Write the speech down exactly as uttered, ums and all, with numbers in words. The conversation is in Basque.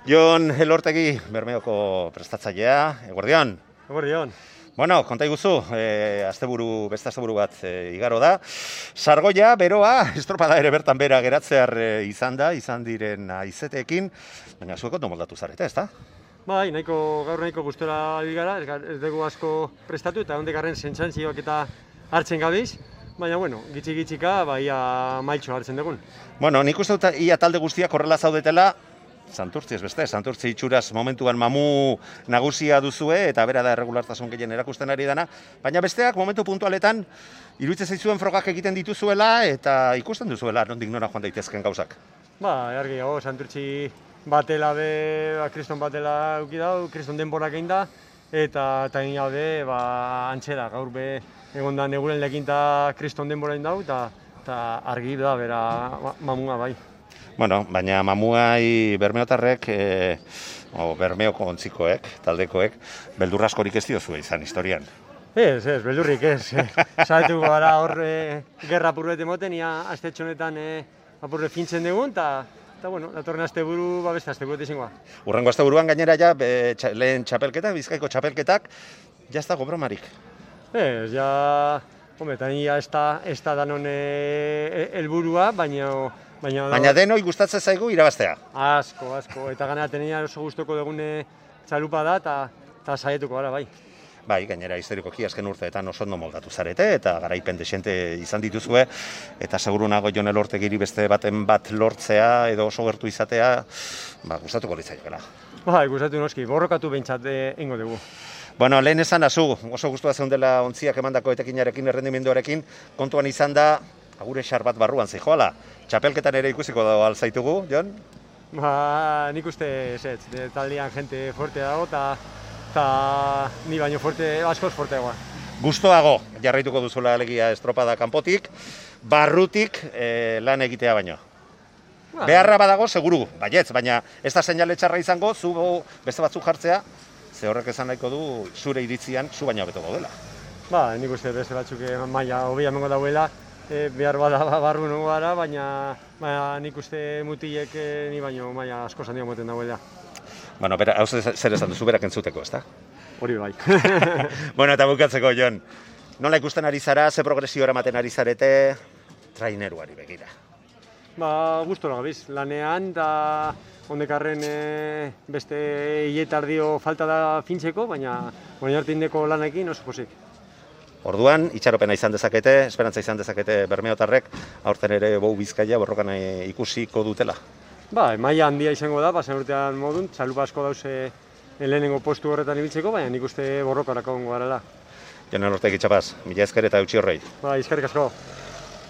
Jon Elortegi, Bermeoko prestatzailea, eguerdion. Eguerdion. Bueno, konta iguzu, e, asteburu, beste asteburu bat e, igaro da. Sargoia, beroa, estropada ere bertan bera geratzear e, izan da, izan diren aizeteekin, baina zuek ondo moldatu zarete, ezta? Bai, nahiko, gaur nahiko gustora bigara, ez dugu asko prestatu eta hondekarren sentzantzioak eta hartzen gabiz, baina, bueno, gitxi-gitxika, bai, mailtxo hartzen dugun. Bueno, nik uste dut ia talde guztiak horrela zaudetela, Santurtzi ez beste, Santurtzi itxuraz momentuan mamu nagusia duzue eta bera da erregulartasun gehien erakusten ari dana, baina besteak momentu puntualetan iruditzen zaizuen frogak egiten dituzuela eta ikusten duzuela nondik nora joan daitezken gauzak. Ba, argi gago, Santurtzi batela be, ba, kriston batela euki dau, kriston denborak egin da, eta eta egin be, ba, antxera, gaur be, egon da neguren lekinta kriston denbora egin dau, eta, eta argi da, bera, mamua bai. Bueno, baina mamuai bermeotarrek, e, o, bermeoko ontzikoek, taldekoek, beldurra askorik ez diozue izan historian. Ez, ez, beldurrik ez. Zaituko gara hor e, gerra apurret emoten, ia astetxo honetan e, apurre fintzen dugun, eta, eta bueno, datorren asteburu, ba beste asteburu izango. Urrengo asteburuan gainera ja, be, txa, lehen txapelketak, Bizkaiko txapelketak, ja ez dago bromarik. Ez, ja, hombre, eta ia ez da, ez da danon helburua, baina... Baina, Baina denoi gustatzen zaigu irabaztea. Asko, asko. Eta gana tenenia oso gustoko dugune txalupa da eta saietuko gara, bai. Bai, gainera historikoki azken urteetan oso ondo moldatu zarete eta garaipen desente izan dituzue eta seguru nago Jon Elortegiri beste baten bat lortzea edo oso gertu izatea, ba, gustatuko litzaiokeela. Bai, gustatu noski, borrokatu behintzat eingo dugu. Bueno, lehen esan azu, oso gustua zeundela ontziak emandako etekinarekin, errendimenduarekin, kontuan izan da, agure xar bat barruan zijoala. Txapelketan ere ikusiko dago alzaitugu, Jon? Ba, nik uste ez ez, taldean jente forte dago eta ni baino forte, askoz forteagoa. Gustoago jarraituko duzula alegia estropada kanpotik, barrutik e, lan egitea baino. Ba, beharra badago, seguru, baietz, baina ez da seinale txarra izango, zu beste batzuk jartzea, ze horrek esan nahiko du zure iritzian zu baino beto gaudela. Ba, nik uste beste batzuk maila hobia emango dauela, E, behar bada barru nugu gara, baina, baina nik uste mutilek e, ni baino maila asko zandio moten dagoela. Bueno, bera, hau zer esan duzu berak entzuteko, ezta? Hori bai. Bueno, eta bukatzeko, Jon, nola ikusten ari zara, ze progresio eramaten ari zarete, traineruari begira? Ba, gustora gabiz, lanean, eta hondekarren e, beste hiletardio falta da fintzeko, baina baina hartindeko lanekin oso posik. Orduan, itxaropena izan dezakete, esperantza izan dezakete bermeotarrek, aurten ere Bou Bizkaia borrokan ikusiko dutela. Ba, maila handia izango da, pasen urtean modun, txalupa asko dauze lehenengo postu horretan ibiltzeko, baina nik uste borrokarako gongo garela. Jon Elortegi txapaz, mila esker eta eutxi horrei. Ba, eskerrik asko.